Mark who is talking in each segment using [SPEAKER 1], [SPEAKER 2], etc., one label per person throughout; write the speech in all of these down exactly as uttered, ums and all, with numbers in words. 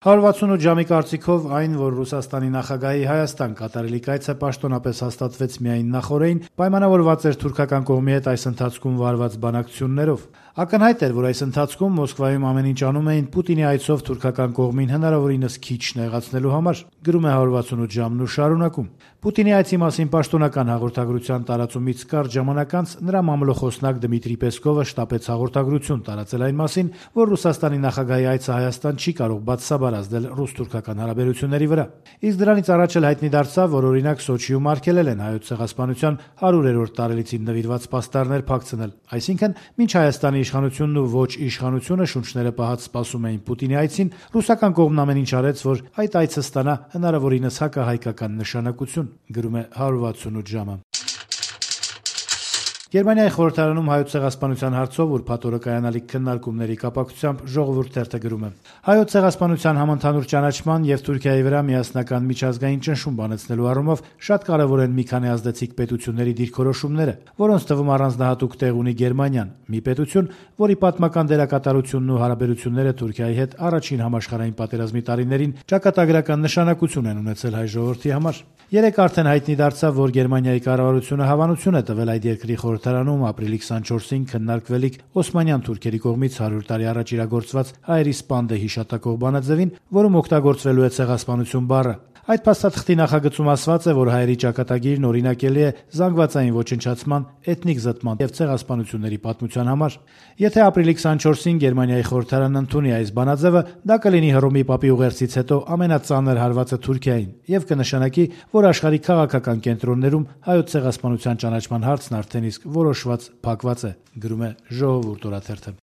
[SPEAKER 1] հարյուր վաթսունութ ժամի կարծիքով այն, որ Ռուսաստանի նախագահի Հայաստան կատարելիք այցը պաշտոնապես հաստատվեց միայն նախօրեին, պայմանավորված էր թուրքական կողմի հետ այս ընթացքում վարված բանակցություններով։ Ակնհայտ էր, որ այս ընթացքում Մոսկվայում ամեն ինչ անում էին Պուտինի այցով թուրքական կողմին հնարավորինս քիչ նեղացնելու համար, գրում է հարյուր վաթսունութ ժամն ու շարունակում. Պուտինի այցի մասին պաշտոնական հաղորդագրության տարածումից կարճ ժամանակ անց նրա մամլոխոսնակ Դմիտրի Պեսկովը շտապեց հաղորդագրություն տարածել այն մասին, որ Ռուսաստանի նախագահի այցը Հայաստան չի կարող բացասաբար ազդել ռուս-թուրքական հարաբերությունների վրա։ Իսկ դրանից առաջ էլ հայտնի դարձավ, որ օրինակ Սոչիում արգելել են Հայոց ցեղասպանության հարյուրերորդ տարելիցին նվիրված պաստառներ փակցնել, այսինքն մինչ Հայաստանի իշխանությունն ու ոչ իշխանությունը շունչները պահած սպասում էին Պուտինի այցին, ռուսական կողմն ամեն ինչ արեց, որ այդ այցը ստանա հնարավորինս հակահայկական նշանակություն, գրում է հարյուր վաթսունութ ժամը։ Գերմանիայի խորհրդարանում Հայոց ցեղասպանության հարցով ուրբաթ օրը կայանալիք քննարկումների կապակցությամբ Ժողովուրդ թերթը գրում է. Հայոց ցեղասպանության համընդհանուր ճանաչման եւ Թուրքիայի վրա միասնական միջազգային ճնշում բանեցնելու առումով շատ կարեւոր են մի քանի ազդեցիկ պետությունների դիրքորոշումները, որոնց թվում առանձնահատուկ տեղ ունի Գերմանիան, մի պետություն, որի պատմական դերակատարությունն ու հարաբերությունները Թուրքիայի հետ առաջին համաշխարհային պատերազմի տարիներին ճակատագրական նշանակություն են ունեցել հայ ժողովրդի համար։ Երեկ արդեն հայտնի դարձավ, որ Գերմանիայի կառավարությունը հավանություն է տվել այդ երկրի խորհրդարանում ապրիլի քսանչորսին քննարկվելիք օսմանյան թուրքերի կողմից հարյուր տարի առաջ իրագործված հայերի սպանդը հիշատակող բանաձևին, որում օգտագործվելու է ցեղասպանություն բառը։ Այդ փաստաթղթի նախագծում ասված է, որ հայերի ճակատագիրն օրինակելի է զանգվածային ոչնչացման, էթնիկ զտման եւ ցեղասպանությունների պատմության համար։ Եթե ապրիլի քսանչորսին Գերմանիայի խորհրդարանը ընդունի այս բանաձևը, դա կլինի Հռոմի Պապի ուղերձից հետո ամենածանր հարվածը Թուրքիային եւ կնշանակի, որ աշխարհի քաղաքական կենտրոններում հայոց ցեղասպանության ճանաչման հարցն արդեն իսկ որոշված փակված է, գրում է Ժողովուրդ օրաթերթը։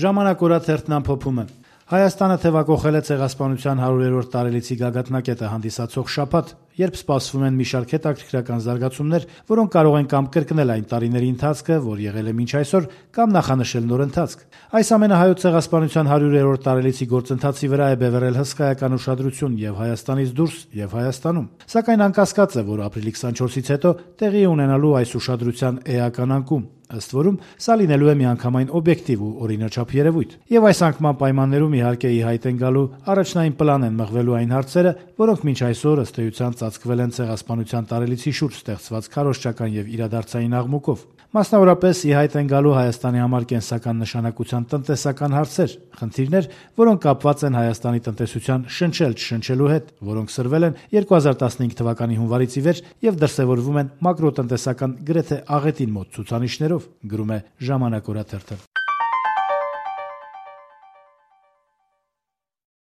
[SPEAKER 1] Ժամանակ օրաթերթն ամփոփում է. Հայաստանը թևակողել է ցեղասպանության հարյուրերորդ տարելիցի գագաթնակետը հանդիսացող շաբաթ, երբ սպասվում են մի շարք հետաքրքրական զարգացումներ, որոնք կարող են կամ կրկնել այն տարիների ընթացքը, որ եղել է մինչ այսօր, կամ նախանշել նոր ընթացք։ Այս ամենը հայոց ցեղասպանության հարյուրերորդ տարելիցի գործընթացի վրա է բևեռել հսկայական ուշադրություն եւ Հայաստանից դուրս, եւ Հայաստանում։ Սակայն անկասկած է, որ ապրիլի քսանչորսից հետո տեղի ունենալու այս ուշադրության էական անկում, ըստ որում սա լինելու է միանգամայն օբյեկտիվ ու օրինաչափ երևույթ։ Եվ այս անկման պայմաններում իհարկե ի հայտ են գալու առաջնային պլան են մղվելու այն հարցերը, որոնք մինչ այսօր ըստ էության ծածկվել են ցեղասպանության տարելիցի շուրջ ստեղծված քարոզչական եւ իրադարձային աղմուկով։ Մասնավորապես ի հայտ են գալու Հայաստանի համար կենսական նշանակության տնտեսական հարցեր, խնդիրներ, որոնք կապված են Հայաստանի տնտեսության շնչել-չշնչելու հետ, որոնք սրվել են երկու հազար տասնհինգ թվականի հունվարից ի վեր եւ դրսեւորվում են մակրոտնտեսական գրեթե աղետին մոտ ցուցանիշներով, գրում է Ժամանակ օրաթերթը։